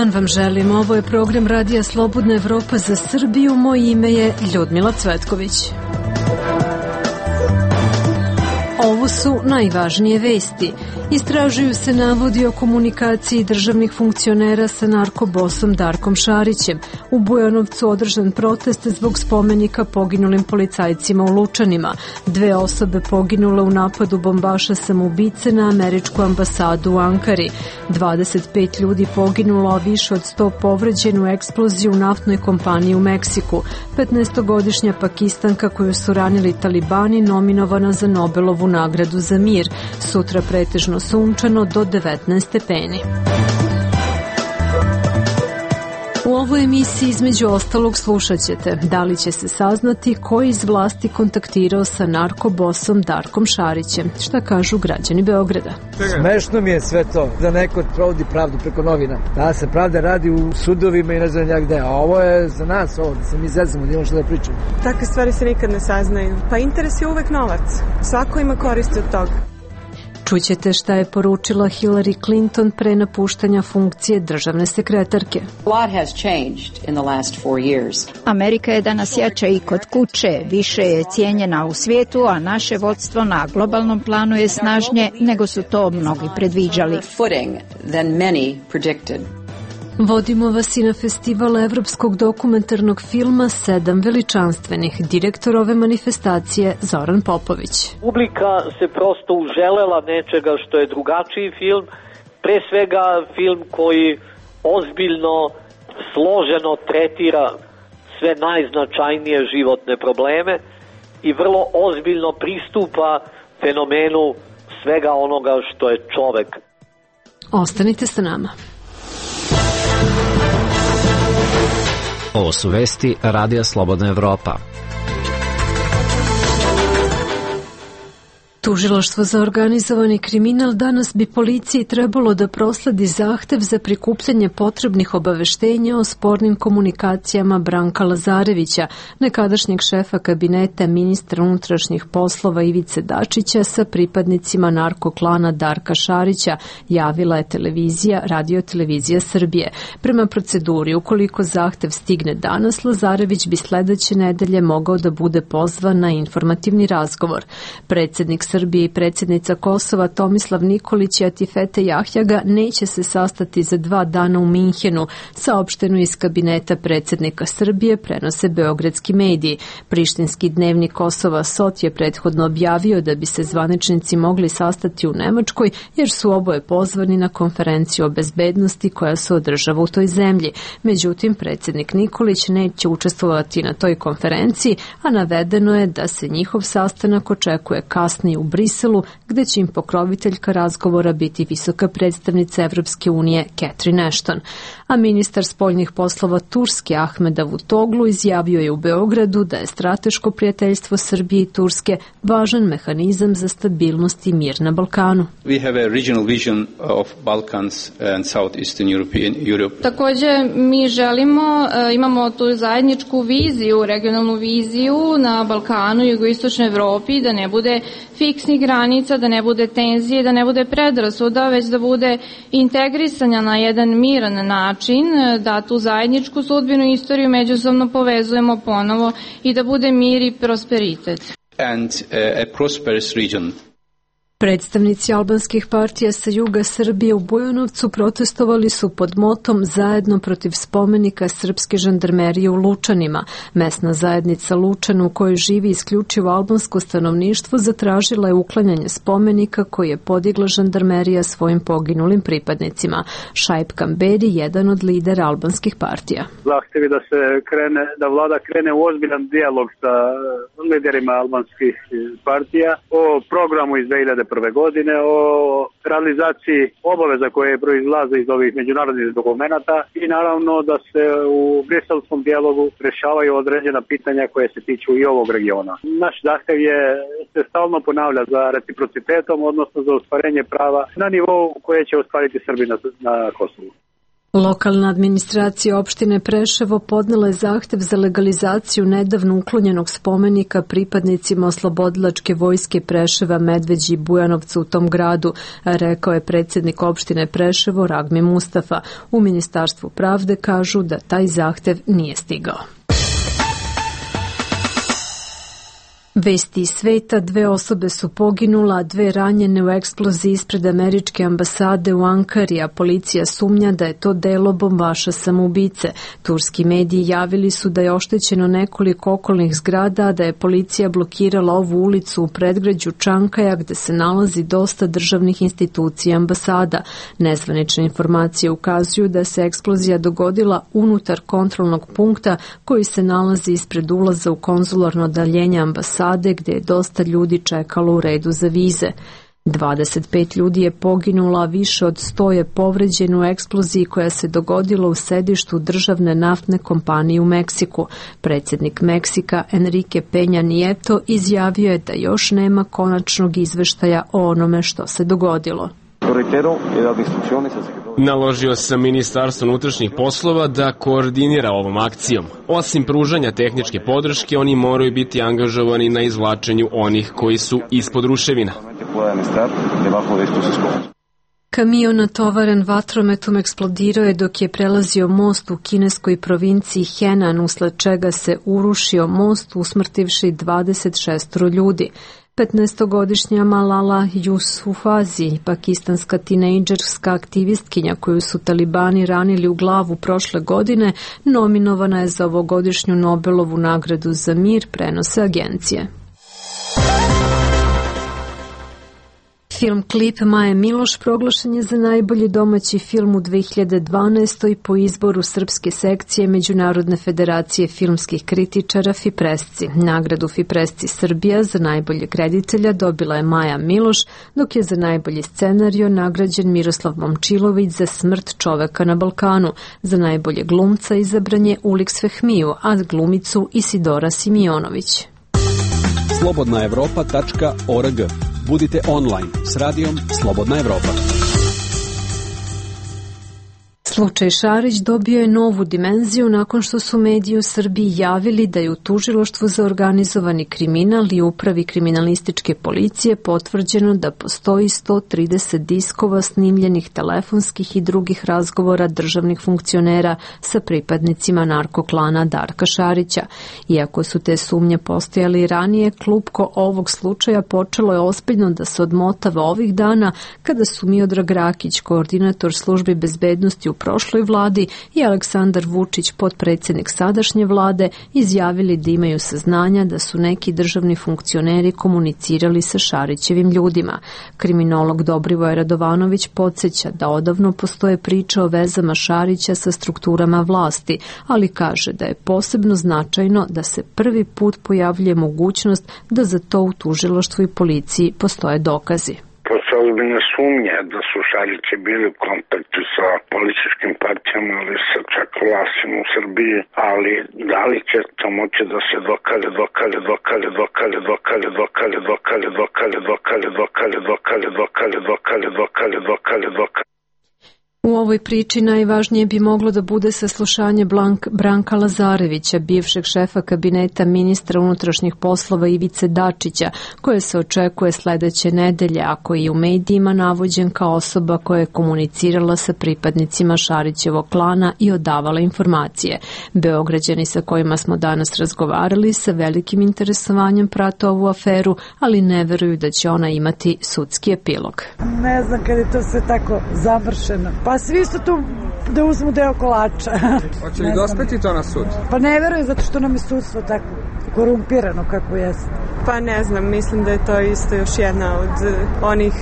dan vam želim. Ovo je program Radija Slobodna Evropa za Srbiju. Moje ime je Ljudmila Cvetković. Ovo su najvažnije vesti. Istražuju se navodi o komunikaciji državnih funkcionera sa narkobosom Darkom Šarićem. U Bujanovcu održan protest zbog spomenika poginulim policajcima u Lučanima. 2 osobe poginule u napadu bombaša samoubice na američku ambasadu u Ankari. 25 ljudi poginulo, a više od 100 povređeno u eksploziji u naftnoj kompaniji u Meksiku. 15-godišnja Pakistanka koju su ranili talibani nominovana za Nobelovu nagradu za mir. Sutra pretežno sunčano do 19 stepeni. U ovoj emisiji između ostalog slušat ćete da li će se saznati ko iz vlasti kontaktirao sa narkobosom Darkom Šarićem. Šta kažu građani Beograda? Smešno mi je sve to da neko provodi pravdu preko novina. Da se pravda radi u sudovima i ne znam ja gde. A ovo je za nas ovo, da se mi zezamo, da imamo što da pričamo. Takve stvari se nikad ne saznaju. Pa interes je uvek novac. Svako ima koristi od toga. Čućete šta je poručila Hillary Clinton pre napuštanja funkcije državne sekretarke. Amerika je danas jača i kod kuće, više je cijenjena u svijetu, a naše vodstvo na globalnom planu je snažnije nego su to mnogi predviđali. Vodimo vas i na festival evropskog dokumentarnog filma 7 veličanstvenih. Direktor ove manifestacije Zoran Popović. Publika se prosto uželela nečega što je drugačiji film, pre svega film koji ozbiljno, složeno tretira sve najznačajnije životne probleme i vrlo ozbiljno pristupa fenomenu svega onoga što je čovek. Ostanite sa nama. Ovo su vesti Radija Slobodna Evropa. Tužilaštvo za organizovani kriminal danas bi policiji trebalo da prosledi zahtev za prikupljanje potrebnih obaveštenja o spornim komunikacijama Branka Lazarevića, nekadašnjeg šefa kabineta ministra unutrašnjih poslova Ivice Dačića sa pripadnicima narkoklana Darka Šarića, javila je Radio-televizija Srbije. Prema proceduri, ukoliko zahtev stigne danas, Lazarević bi sledeće nedelje mogao da bude pozvan na informativni razgovor. Predsjednik Srbije i predsjednica Kosova Tomislav Nikolić i Atifete Jahjaga neće se sastati za 2 dana u Minhenu, saopšteno iz kabineta predsjednika Srbije, prenose beogradski mediji. Prištinski dnevnik Kosova Sot je prethodno objavio da bi se zvaničnici mogli sastati u Nemačkoj, jer su oboje pozvani na konferenciju o bezbednosti koja se održava u toj zemlji. Međutim, predsjednik Nikolić neće učestvovati na toj konferenciji, a navedeno je da se njihov sastanak očekuje kasnije u Briselu, gde će im pokroviteljka razgovora biti visoka predstavnica Evropske unije Catherine Ashton. A ministar spoljnih poslova Turske Ahmed Davutoglu izjavio je u Beogradu da je strateško prijateljstvo Srbije i Turske važan mehanizam za stabilnost i mir na Balkanu. We have a regional vision of Balkans and Southeastern Europe. Također mi imamo tu zajedničku viziju, regionalnu viziju na Balkanu i jugoistočnoj Evropi, da ne bude fiksnih granica, da ne bude tenzije, da ne bude predrasuda, već da bude integrisanja na jedan miran način, da tu zajedničku sudbinu i istoriju međusobno povezujemo ponovo i da bude mir i prosperitet. And a prosperous region. Predstavnici albanskih partija sa juga Srbije u Bujanovcu protestovali su pod motom zajedno protiv spomenika srpske žandarmerije u Lučanima. Mesna zajednica Lučan, u kojoj živi isključivo albansko stanovništvo, zatražila je uklanjanje spomenika koji je podigla žandarmerija svojim poginulim pripadnicima. Šaip Kamberi, jedan od lidera albanskih partija. Zahtevi da vlada krene u ozbiljan dijalog sa liderima albanskih partija o programu iz 2001. godine, o realizaciji obaveza koje proizlaze iz ovih međunarodnih dokumenta i naravno da se u briselskom dijalogu rešavaju određena pitanja koje se tiču i ovog regiona. Naš zahtev se stalno ponavlja za reciprocitetom, odnosno za ostvarenje prava na nivou koje će ostvariti Srbi na Kosovu. Lokalna administracija opštine Preševo podnela je zahtev za legalizaciju nedavno uklonjenog spomenika pripadnicima oslobodilačke vojske Preševa, Medveđi i Bujanovca u tom gradu, rekao je predsjednik opštine Preševo Ragmi Mustafa. U Ministarstvu pravde kažu da taj zahtev nije stigao. Vesti iz sveta, 2 osobe su poginula, a 2 ranjene u eksploziji ispred američke ambasade u Ankari, a policija sumnja da je to delo bombaša samoubice. Turski mediji javili su da je oštećeno nekoliko okolnih zgrada, a da je policija blokirala ovu ulicu u predgrađu Čankaja gde se nalazi dosta državnih institucija i ambasada. Nezvanične informacije ukazuju da se eksplozija dogodila unutar kontrolnog punkta koji se nalazi ispred ulaza u konzularno odeljenje ambasade gde je dosta ljudi čekalo u redu za vize. 25 ljudi je poginulo, a više od 100 je povređeno u eksploziji koja se dogodila u sedištu državne naftne kompanije u Meksiku. Predsjednik Meksika Enrique Peña Nieto izjavio je da još nema konačnog izveštaja o onome što se dogodilo. Naložio sam Ministarstvu unutrašnjih poslova da koordinira ovom akcijom. Osim pružanja tehničke podrške, oni moraju biti angažovani na izvlačenju onih koji su ispod ruševina. Kamion natovaren vatrometom eksplodirao je dok je prelazio most u kineskoj provinciji Henan, usled čega se urušio most, usmrtivši 26 ljudi. 15-godišnja Malala Yousafzai, pakistanska tinejdžerska aktivistkinja koju su talibani ranili u glavu prošle godine, nominovana je za ovogodišnju Nobelovu nagradu za mir, prenose agencije. Film klip Maje Miloš proglašen je za najbolji domaći film u 2012. po izboru srpske sekcije Međunarodne federacije filmskih kritičara Fipresci. Nagradu Fipresci Srbija za najboljeg reditelja dobila je Maja Miloš, dok je za najbolji scenario nagrađen Miroslav Momčilović za Smrt čoveka na Balkanu. Za najbolje glumca izabran je Uliks Fehmiju, a glumicu Isidora Simionović. slobodnaevropa.org. Budite online s radijom Slobodna Evropa. Slučaj Šarić dobio je novu dimenziju nakon što su mediji u Srbiji javili da je u Tužilaštvu za organizovani kriminal i Upravi kriminalističke policije potvrđeno da postoji 130 diskova snimljenih telefonskih i drugih razgovora državnih funkcionera sa pripadnicima narkoklana Darka Šarića. Iako su te sumnje postojali i ranije, klupko ovog slučaja počelo je ozbiljno da se odmotava ovih dana kada su Miodrag Rakić, koordinator službi bezbednosti u prošloj vladi, i Aleksandar Vučić, potpredsjednik sadašnje vlade, izjavili da imaju saznanja da su neki državni funkcioneri komunicirali sa Šarićevim ljudima. Kriminolog Dobrivoje Radovanović podsjeća da odavno postoje priče o vezama Šarića sa strukturama vlasti, ali kaže da je posebno značajno da se prvi put pojavljuje mogućnost da za to u tužilaštvu i policiji postoje dokazi. Postoje ozbiljne sumnje da su Šarići bili u kontaktu sa političkim partijama ili sa čak vlastima u Srbiji, ali da li će to moći da se dokaže. U ovoj priči najvažnije bi moglo da bude saslušanje Branka Lazarevića, bivšeg šefa kabineta ministra unutrašnjih poslova Ivice Dačića, koje se očekuje sledeće nedelje, a koji je u medijima navođen kao osoba koja je komunicirala sa pripadnicima Šarićevog klana i odavala informacije. Beograđani sa kojima smo danas razgovarali sa velikim interesovanjem prate ovu aferu, ali ne veruju da će ona imati sudski epilog. Ne znam kad je to sve tako završeno. Pa svi su tu da uzmu deo kolača. Hoće li dospeti to na sud? Pa ne verujem, zato što nam je sudstvo tako korumpirano kako jeste. Pa ne znam, mislim da je to isto još jedna od onih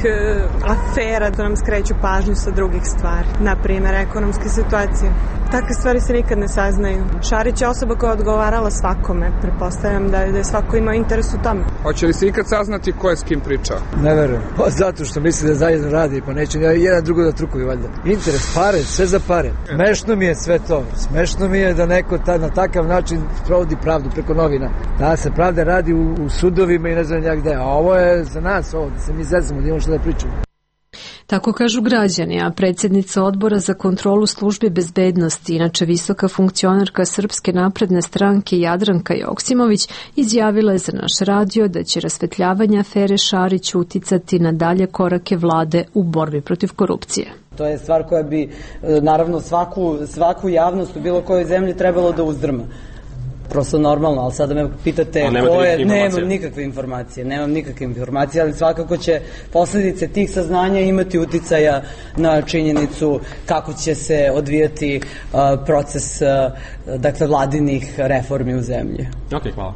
afera da nam skreću pažnju sa drugih stvari. Naprimer, ekonomske situacije. Takve stvari se nikad ne saznaju. Šarić je osoba koja je odgovarala svakome. Pretpostavljam da je svako imao interes u tome. Hoće li se ikad saznati ko je s kim pričao? Ne verujem. Pa zato što misli da zajedno radi, pa neće jedan drugo da trukuju valjda. Interes, pare, sve za pare. Smešno mi je sve to. Smešno mi je da neko na takav način provodi pravdu preko novina. Da se pravda radi u sudovima i ne znam ja gde. A ovo je za nas, ovo, da se mi zezamo, da imamo što da pričamo. Tako kažu građani, a predsjednica Odbora za kontrolu službi bezbednosti, inače visoka funkcionarka Srpske napredne stranke Jadranka Joksimović, izjavila je za naš radio da će rasvetljavanje afere Šarić uticati na dalje korake vlade u borbi protiv korupcije. To je stvar koja bi, naravno, svaku javnost u bilo kojoj zemlji trebalo da uzdrma. Prosto normalno, ali sada me pitate ko je, nemam nikakve informacije, ali svakako će posljedice tih saznanja imati uticaja na činjenicu kako će se odvijati proces vladinih reformi u zemlji. Ok, hvala.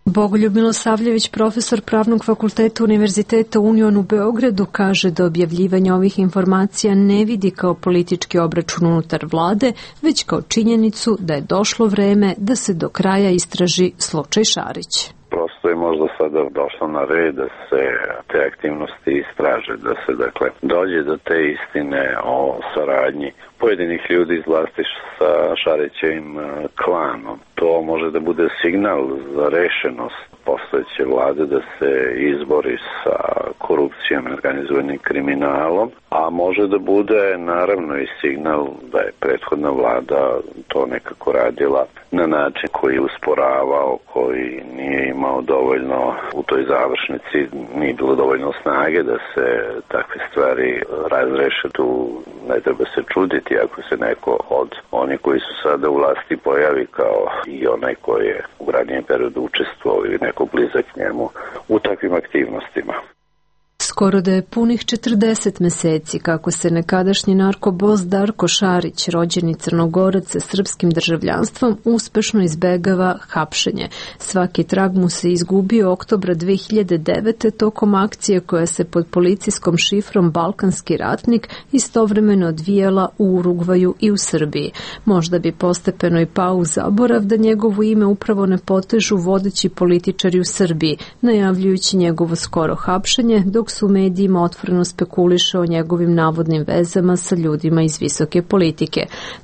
Bogoljub Milosavljević, profesor Pravnog fakulteta Univerziteta Union u Beogradu, kaže da objavljivanje ovih informacija ne vidi kao politički obračun unutar vlade, već kao činjenicu da je došlo vreme da se do kraja istraži slučaj Šarić. Prosto je možda sada došlo na red da se te aktivnosti istraže, da se dođe do te istine o saradnji pojedinih ljudi iz vlasti sa Šarićevim klanom. To može da bude signal za rešenost postojeće vlade da se izbori sa korupcijom i organizovanim kriminalom, a može da bude naravno i signal da je prethodna vlada to nekako radila na način koji je usporavao, koji nije imao dovoljno u toj završnici, nije bilo dovoljno snage da se takve stvari razreše. Tu ne treba se čuditi ako se neko od onih koji su sada u vlasti pojavi kao i onaj koji je u ranijem periodu učestvovao ili neko blizak njemu u takvim aktivnostima. Skoro da je punih 40 meseci kako se nekadašnji narkobos Darko Šarić, rođeni Crnogorac sa srpskim državljanstvom, uspešno izbegava hapšenje. Svaki trag mu se izgubio oktobra 2009. tokom akcije koja se pod policijskom šifrom Balkanski ratnik istovremeno odvijala u Urugvaju i u Srbiji. Možda bi postepeno i pao u zaborav da njegovo ime upravo ne potežu vodeći političari u Srbiji, najavljujući njegovo skoro hapšenje, dok su u medijima otvoreno spekuliše o njegovim navodnim vezama sa ljudima iz visoke politike.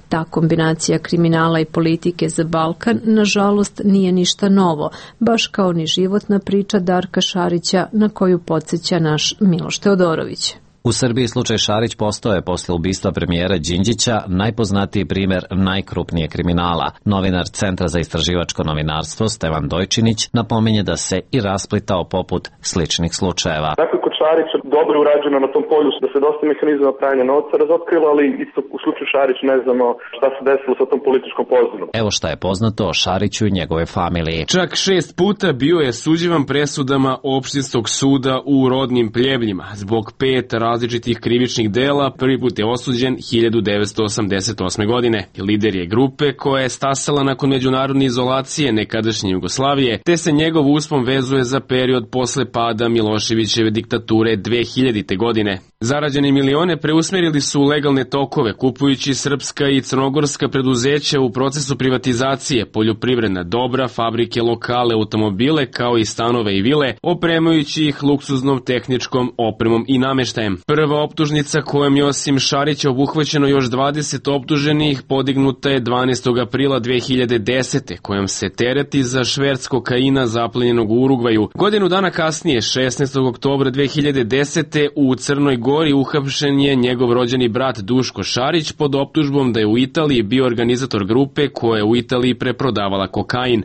Ta kombinacija kriminala i politike za Balkan, nažalost, nije ništa novo, baš kao ni životna priča Darka Šarića na koju podsjeća naš Miloš Teodorović. U Srbiji slučaj Šarić postao je posle ubistva premijera Đinđića najpoznatiji primer najkrupnije kriminala. Novinar Centra za istraživačko novinarstvo Stevan Dojčinić napominje da se i rasplitao poput sličnih slučajeva. Dakle, kod Šarića dobro je urađeno na tom polju da se dosta mehanizama pranja novca razotkrilo, ali isto u slučaju Šarić ne znamo šta se desilo sa tom političkom pozadinom. Evo šta je poznato o Šariću i njegove familiji. Čak 6 puta bio je suđivan presudama opštinskog suda u rodnim pljevljima zbog 5 različitih krivičnih dela. Prvi put je osuđen 1988. godine. Lider je grupe koja je stasala nakon međunarodne izolacije nekadašnje Jugoslavije, te se njegov uspon vezuje za period posle pada Miloševićeve diktature 2000. godine. Zarađene milione preusmerili su u legalne tokove, kupujući srpska i crnogorska preduzeća u procesu privatizacije, poljoprivredna dobra, fabrike, lokale, automobile, kao i stanove i vile, opremajući ih luksuznom tehničkom opremom i nameštajem. Prva optužnica kojom je osim Šarića obuhvaćeno još 20 optuženih podignuta je 12. aprila 2010. kojom se tereti za šverc kokaina zaplenjenog u Urugvaju. Godinu dana kasnije, 16. oktobra 2010. u Crnoj Gori uhapšen je njegov rođeni brat Duško Šarić pod optužbom da je u Italiji bio organizator grupe koja je u Italiji preprodavala kokain.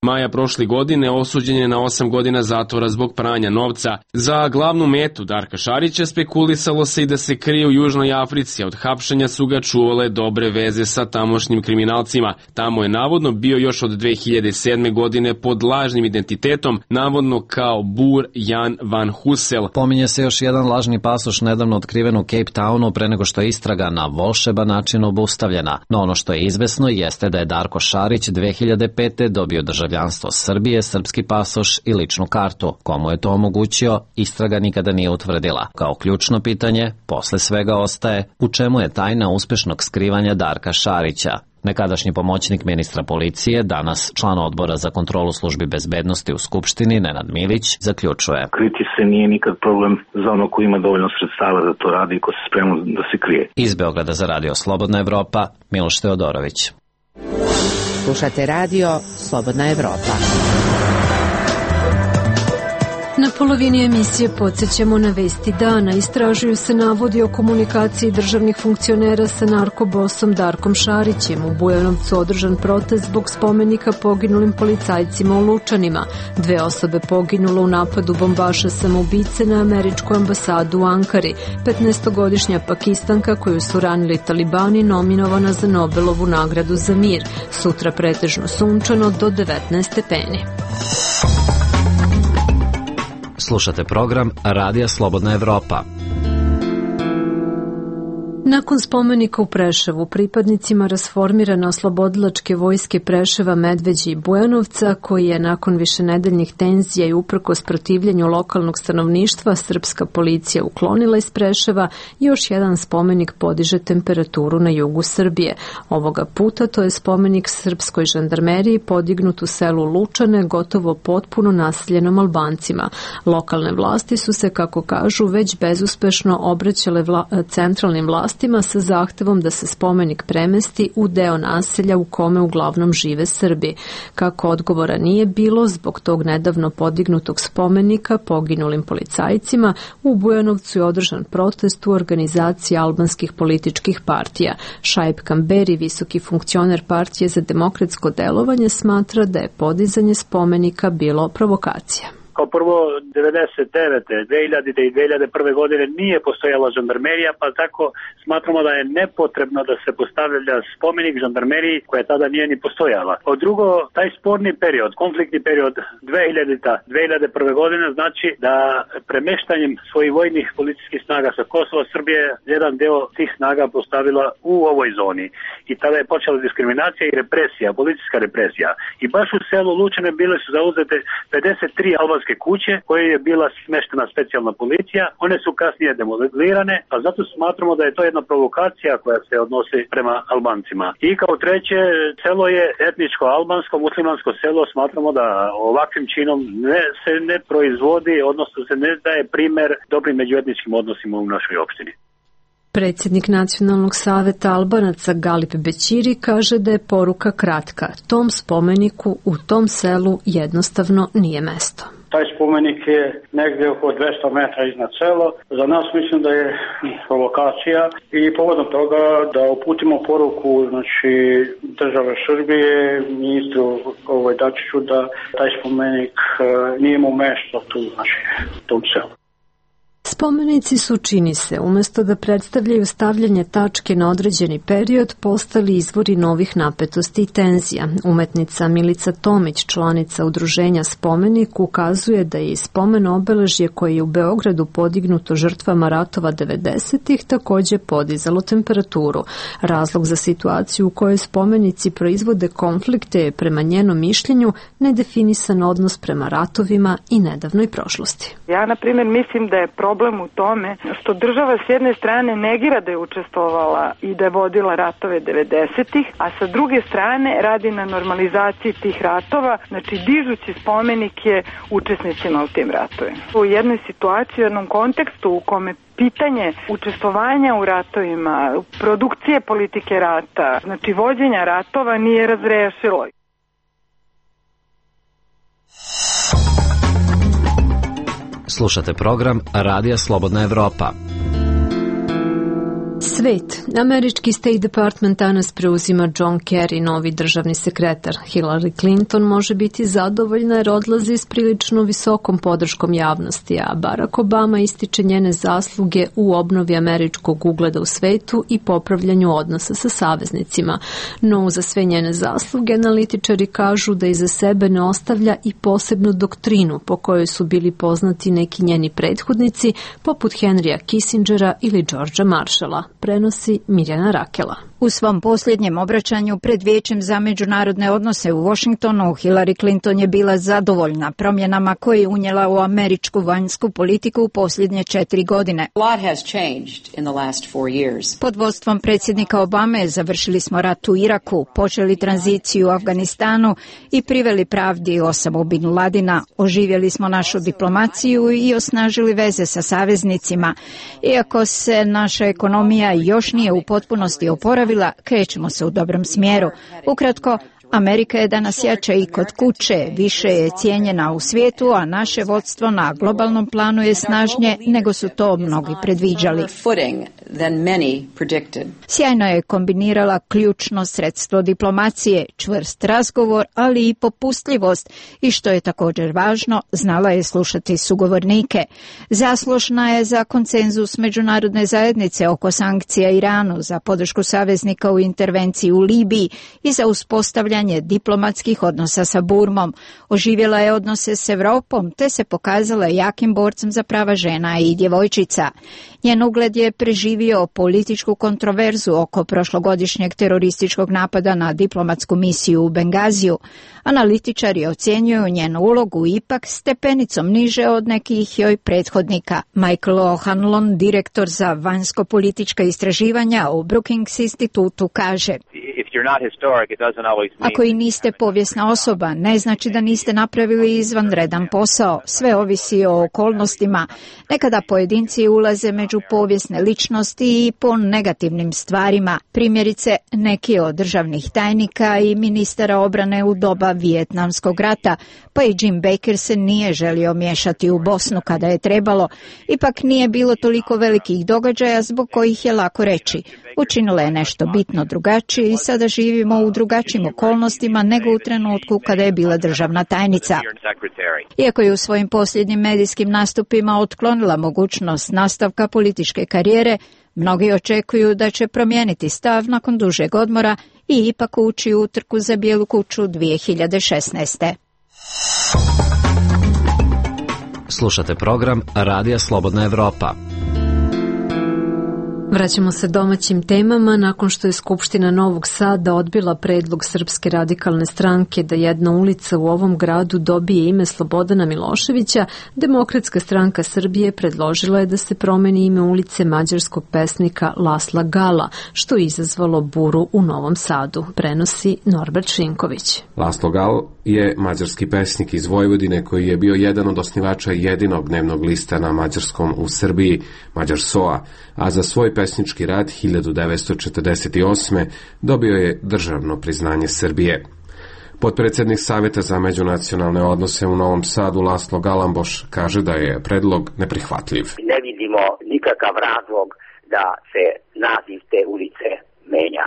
Maja prošle godine osuđen je na 8 godina zatvora zbog pranja novca. Za glavnu metu Darka Šarića spekulisalo se i da se krije u Južnoj Africi, a od hapšenja su ga čuvale dobre veze sa tamošnjim kriminalcima. Tamo je navodno bio još od 2007. godine pod lažnim identitetom, navodno kao Bur Jan van Husel. Pominje se još jedan lažni pasoš nedavno otkriven u Cape Townu pre nego što je istraga na volšeban način obustavljena. No ono što je izvesno jeste da je Darko Šarić 2005. dobio državljanstvo Srbije, srpski pasoš i ličnu kartu. Komu je to omogućio, istraga nikada nije utvrdila. Kao ključno pitanje, posle svega ostaje, u čemu je tajna uspešnog skrivanja Darka Šarića. Nekadašnji pomoćnik ministra policije, danas član Odbora za kontrolu službi bezbednosti u Skupštini, Nenad Milić, zaključuje. Kriti se nije nikad problem za ono ko ima dovoljno sredstava da to radi i ko se spremno da se krije. Iz Beograda za radio Slobodna Evropa, Miloš Teodorović. Slušate radio Slobodna Evropa. Na polovini emisije podsjećamo na vesti dana. Istražuju se navodi o komunikaciji državnih funkcionera sa narkobosom Darkom Šarićem. U Bujanovcu održan protest zbog spomenika poginulim policajcima u Lučanima. 2 osobe poginulo u napadu bombaša samoubice na američku ambasadu u Ankari. 15-godišnja Pakistanka koju su ranili talibani nominovana za Nobelovu nagradu za mir. Sutra pretežno sunčano do 19 stepeni. Slušate program Radija Slobodna Evropa. Nakon spomenika u Preševu, pripadnicima rasformirane oslobodilačke vojske Preševa, Medveđe i Bujanovca, koji je nakon višenedeljnih tenzija i uprkos protivljenju lokalnog stanovništva srpska policija uklonila iz Preševa, još jedan spomenik podiže temperaturu na jugu Srbije. Ovoga puta to je spomenik srpskoj žandarmeriji podignut u selu Lučane, gotovo potpuno naseljenom Albancima. Lokalne vlasti su se, kako kažu, već bezuspešno obraćale centralnim vlastima sa zahtevom da se spomenik premesti u deo naselja u kome uglavnom žive Srbi. Kako odgovora nije bilo, zbog tog nedavno podignutog spomenika poginulim policajcima, u Bujanovcu je održan protest u organizaciji albanskih političkih partija. Šaip Kamberi, visoki funkcioner Partije za demokratsko delovanje, smatra da je podizanje spomenika bilo provokacija. Kao prvo, 99. 2000. i 2001. godine nije postojala žandarmerija, pa tako smatramo da je nepotrebno da se postavlja spomenik žandarmeriji koja tada nije ni postojala. Od drugo, taj sporni period, konfliktni period 2001. godine znači da premeštanjem svojih vojnih policijskih snaga sa Kosova Srbije jedan deo tih snaga postavila u ovoj zoni. I tada je počela diskriminacija i represija, policijska represija. I baš u selu Lučane bile su zauzete 53 albanske kuće koje je bila smeštena specijalna policija. One su kasnije demolirane, a zato smatramo da je to jedna provokacija koja se odnosi prema Albancima. I kao treće, selo je etničko albansko, muslimansko selo. Smatramo da ovakvim činom se ne proizvodi, odnosno se ne daje primer dobrim međuetničkim odnosima u našoj opštini. Predsjednik Nacionalnog saveta Albanaca Galip Bećiri kaže da je poruka kratka. Tom spomeniku u tom selu jednostavno nije mesto. Taj spomenik je negdje oko 200 metra iznad sela. Za nas mislim da je provokacija i povodom toga da uputimo poruku države Srbije, ministru Dačiću, da taj spomenik nije imao mesto tu, u tom selu. Spomenici su, čini se, umjesto da predstavljaju stavljanje tačke na određeni period, postali izvori novih napetosti i tenzija. Umetnica Milica Tomić, članica udruženja Spomenik, ukazuje da je i spomen obeležje koje je u Beogradu podignuto žrtvama ratova 90-ih također podizalo temperaturu. Razlog za situaciju u kojoj spomenici proizvode konflikte je, prema njenom mišljenju, nedefinisan odnos prema ratovima i nedavnoj prošlosti. Ja, na primjer, mislim da je problem u tome što država s jedne strane negira da je učestvovala i da je vodila ratove 90-ih, a sa druge strane radi na normalizaciji tih ratova, znači dižući spomenike učesnicima u tim ratovima. U jednoj situaciji, u jednom kontekstu u kome pitanje učestvovanja u ratovima, produkcije politike rata, znači vođenja ratova nije razrešilo. Slušate program Radija Slobodna Evropa. Svet. Američki State Department danas preuzima John Kerry, novi državni sekretar. Hillary Clinton može biti zadovoljna jer odlazi s prilično visokom podrškom javnosti, a Barack Obama ističe njene zasluge u obnovi američkog ugleda u svetu i popravljanju odnosa sa saveznicima. No, za sve njene zasluge analitičari kažu da iza sebe ne ostavlja i posebnu doktrinu po kojoj su bili poznati neki njeni prethodnici, poput Henrya Kissingera ili Georgea Marshalla. Prenosi Mirjana Rakela. U svom posljednjem obraćanju pred Vijećem za međunarodne odnose u Washingtonu, Hillary Clinton je bila zadovoljna promjenama koje je unijela u američku vanjsku politiku u posljednje 4 godine. Pod vodstvom predsjednika Obame završili smo rat u Iraku, počeli tranziciju u Afganistanu i priveli pravdi Osamu bin Ladina, oživjeli smo našu diplomaciju i osnažili veze sa saveznicima. Iako se naša ekonomija još nije u potpunosti oporavila, krećemo se u dobrom smjeru. Ukratko, Amerika je danas jača i kod kuće, više je cijenjena u svijetu, a naše vodstvo na globalnom planu je snažnije nego su to mnogi predviđali. Sjajno je kombinirala ključno sredstvo diplomacije, čvrst razgovor, ali i popustljivost i što je također važno, znala je slušati sugovornike. Zaslužna je za konsenzus međunarodne zajednice oko sankcija Iranu, za podršku saveznika u intervenciji u Libiji i za uspostavljanje diplomatskih odnosa sa Burmom. Oživjela je odnose s Europom te se pokazala jakim borcem za prava žena i djevojčica. Njen ugled je preživio političku kontroverzu oko prošlogodišnjeg terorističkog napada na diplomatsku misiju u Bengaziju. Analitičari ocjenjuju njenu ulogu ipak stepenicom niže od nekih joj prethodnika. Michael O'Hanlon, direktor za vanjsko-politička istraživanja u Brookings institutu, kaže: ako i niste povijesna osoba, ne znači da niste napravili izvanredan posao. Sve ovisi o okolnostima. Nekada pojedinci ulaze među povijesne ličnosti i po negativnim stvarima. Primjerice, neki od državnih tajnika i ministara obrane u doba Vijetnamskog rata, pa i Jim Baker se nije želio miješati u Bosnu kada je trebalo. Ipak nije bilo toliko velikih događaja zbog kojih je lako reći: učinila je nešto bitno drugačije i sada živimo u drugačijim okolnostima nego u trenutku kada je bila državna tajnica. Iako je u svojim posljednjim medijskim nastupima otklonila mogućnost nastavka političke karijere, mnogi očekuju da će promijeniti stav nakon dužeg odmora i ipak ući u utrku za Bijelu kuću 2016. Slušate program Radija Slobodna Evropa. Vraćamo se domaćim temama. Nakon što je Skupština Novog Sada odbila predlog Srpske radikalne stranke da jedna ulica u ovom gradu dobije ime Slobodana Miloševića, Demokratska stranka Srbije predložila je da se promeni ime ulice mađarskog pesnika Lasla Gala, što je izazvalo buru u Novom Sadu, prenosi Norbert Šinković. Laslo Gal je mađarski pesnik iz Vojvodine koji je bio jedan od osnivača jedinog dnevnog lista na mađarskom u Srbiji, Mađar SOA, a za svoj pesnički rad 1948. dobio je državno priznanje Srbije. Potpredsjednik Savjeta za međunacionalne odnose u Novom Sadu Laslo Galamboš kaže da je predlog neprihvatljiv. Ne vidimo nikakav razlog da se naziv te ulice menja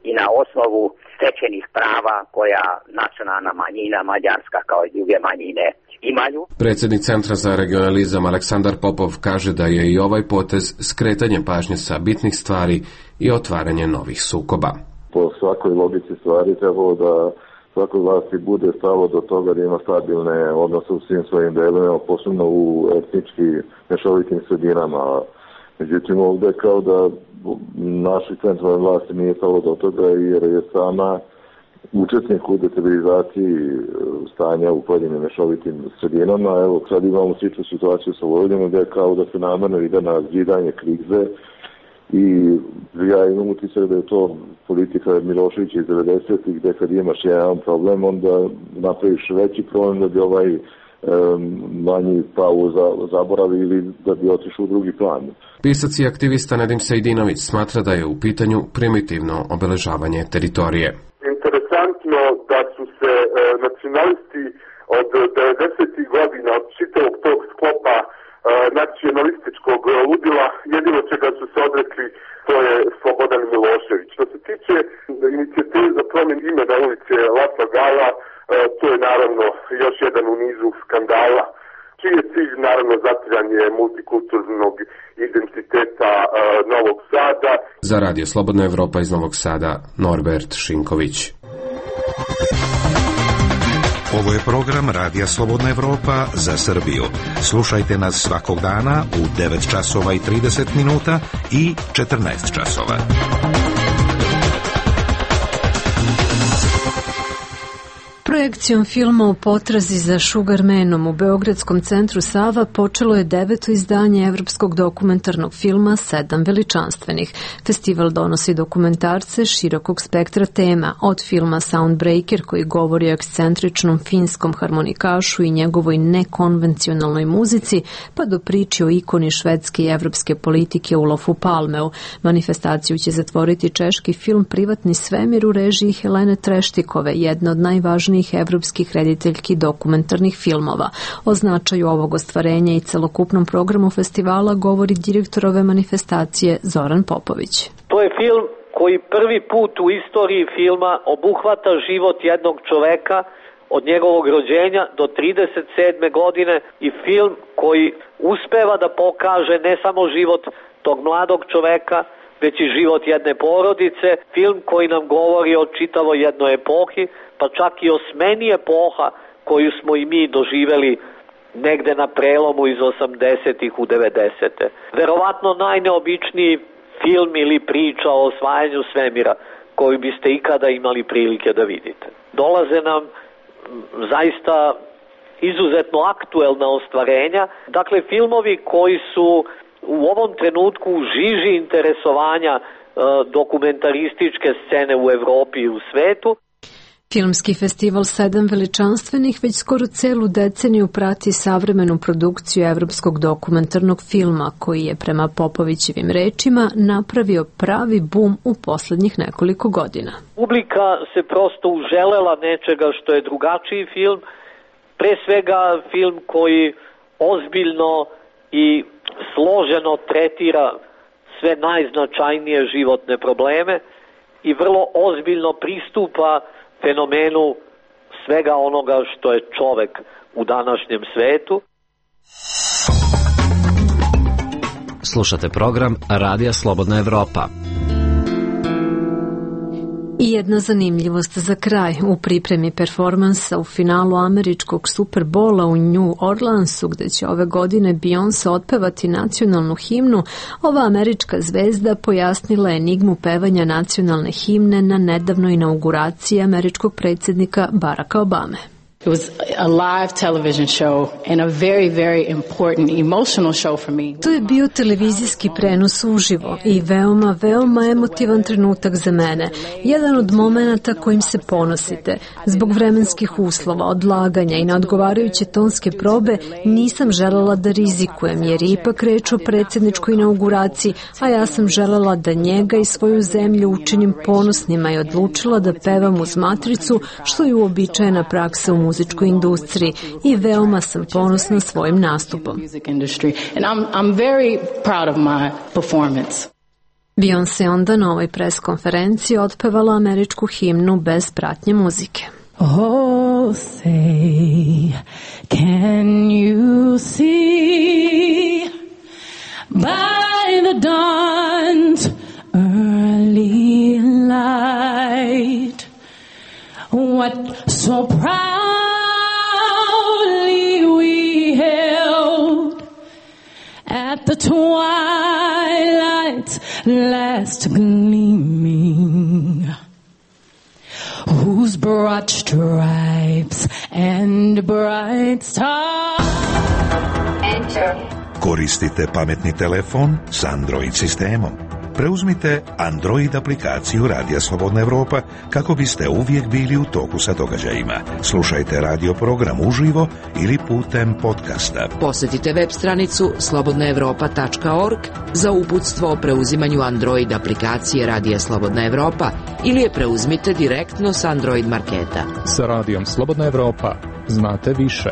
i na osnovu stečenih prava koja nacionalna manjina mađarska kao i druge manjine imaju. Predsjednik Centra za regionalizam Aleksandar Popov kaže da je i ovaj potez skretanje pažnje sa bitnih stvari i otvaranje novih sukoba. Po svakoj logici stvari trebalo da svakoj vlasti bude stalo do toga da ima stabilne odnose u svim svojim delovima, posebno u etnički mešovitim sredinama. Međutim, ovdje kao da naši centralne vlasti nije stalo do toga jer je sama učesnik u destabilizaciji stanja u pojedinim mešovitim sredinama. Evo, sad imamo sličnu situaciju sa Vojvodinom gdje kao da se namerno ide na zidanje krize i ja imam utisak da je to politika Miloševića iz 90-ih gdje kad imaš jedan problem onda napraviš veći problem da bi ovaj manji pao zaboravi ili da bi otišao u drugi plan. Pisac i aktivista Nedim Sejdinović smatra da je u pitanju primitivno obeležavanje teritorije. Interesantno da su se nacionalisti od 90. godina, od čitavog tog sklopa nacionalističkog ludila, jedino čega su se odrekli, to je Slobodan Milošević. Što se tiče inicijative za promjenu imena ulice Lasla Gala, to je naravno još jedan u nizu skandala, čiji je cilj naravno zatiranje multikulturnog identiteta Novog Sada. Za Radio Slobodna Evropa iz Novog Sada, Norbert Šinković. Ovo je program Radija Slobodna Evropa za Srbiju. Slušajte nas svakog dana u 9 časova i 30 minuta i 14 časova. Projekcijom filma U potrazi za Sugarmanom u Beogradskom centru Sava počelo je 9. izdanje evropskog dokumentarnog filma Sedam veličanstvenih. Festival donosi dokumentarce širokog spektra tema, od filma Soundbreaker koji govori o ekscentričnom finskom harmonikašu i njegovoj nekonvencionalnoj muzici, pa do priči o ikoni švedske i evropske politike Olofu Palmeu. Manifestaciju će zatvoriti češki film Privatni svemir u režiji Helene Treštikove, jedna od najvažnijih evropskih rediteljki dokumentarnih filmova. O značaju ovog ostvarenja i celokupnom programu festivala govori direktor ove manifestacije Zoran Popović. To je film koji prvi put u istoriji filma obuhvata život jednog čoveka od njegovog rođenja do 37. godine i film koji uspeva da pokaže ne samo život tog mladog čoveka, već i život jedne porodice, film koji nam govori o čitavoj jednoj epohi, pa čak i o smeni epoha koju smo i mi doživeli negde na prelomu iz 80-ih u 90-te. Verovatno najneobičniji film ili priča o osvajanju svemira koju biste ikada imali prilike da vidite. Dolaze nam zaista izuzetno aktuelna ostvarenja, dakle filmovi koji su u ovom trenutku u žiži interesovanja dokumentarističke scene u Evropi i u svetu. Filmski festival Sedam veličanstvenih već skoro celu deceniju prati savremenu produkciju evropskog dokumentarnog filma, koji je prema Popovićevim rečima napravio pravi bum u poslednjih nekoliko godina. Publika se prosto uželela nečega što je drugačiji film, pre svega film koji ozbiljno i složeno tretira sve najznačajnije životne probleme i vrlo ozbiljno pristupa fenomenu svega onoga što je čovek u današnjem svetu. Slušate program Radija Slobodna Evropa. I jedna zanimljivost za kraj. U pripremi performansa u finalu američkog Superbola u New Orleansu, gde će ove godine Beyoncé otpevati nacionalnu himnu, ova američka zvezda pojasnila enigmu pevanja nacionalne himne na nedavnoj inauguraciji američkog predsjednika Baracka Obame. It was a live television show and a very, very important emotional show for me. To je bio televizijski prenos uživo i veoma emotivan trenutak za mene. Jedan od momenata kojim se ponosite. Zbog vremenskih uslova, odlaganja i neodgovarajuće tonske probe nisam želela da rizikujem, jer je ipak reč o predsjedničkoj inauguraciji, a ja sam želela da njega i svoju zemlju učinim ponosnima i odlučila da pevam uz matricu, što je uobičajena praksa u muzičkoj industriji, i veoma sam ponosna svojim nastupom. Beyoncé onda na ovoj pres konferenciji otpevala američku himnu bez pratnje muzike. Oh, say, can you see by the dawn's early light what so proudly we held at the twilight's last gleaming, whose broad stripes and bright stars. Koristite pametni telefon s Android sistemom. Preuzmite Android aplikaciju Radija Slobodna Evropa kako biste uvijek bili u toku sa događajima. Slušajte radio program uživo ili putem podcasta. Posjetite web stranicu slobodnaevropa.org za uputstvo o preuzimanju Android aplikacije Radija Slobodna Evropa ili je preuzmite direktno s Android marketa. Sa Radijom Slobodna Evropa znate više.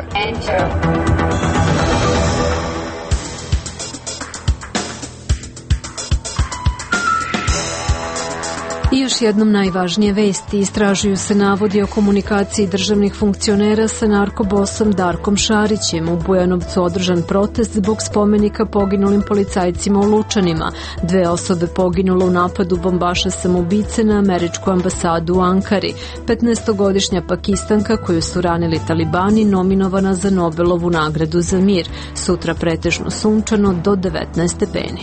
I još jednom najvažnije vesti. Istražuju se navodi o komunikaciji državnih funkcionera sa narkobosom Darkom Šarićem. U Bujanovcu održan protest zbog spomenika poginulim policajcima u Lučanima. 2 osobe poginule u napadu bombaša samoubice na američku ambasadu u Ankari. 15-godišnja Pakistanka koju su ranili talibani nominovana za Nobelovu nagradu za mir. Sutra pretežno sunčano do 19 stepeni.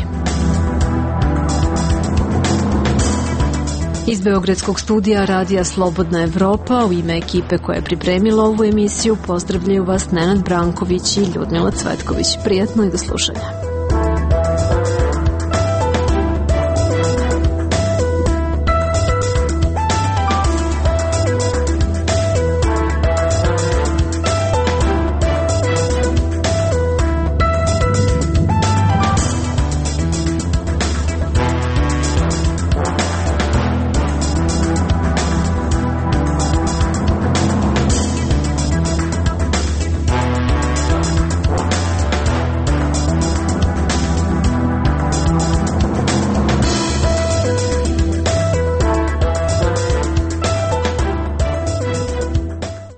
Iz Beogradskog studija Radija Slobodna Evropa u ime ekipe koja je pripremila ovu emisiju pozdravljaju vas Nenad Branković i Ljudmila Cvetković. Prijatno i do slušanja.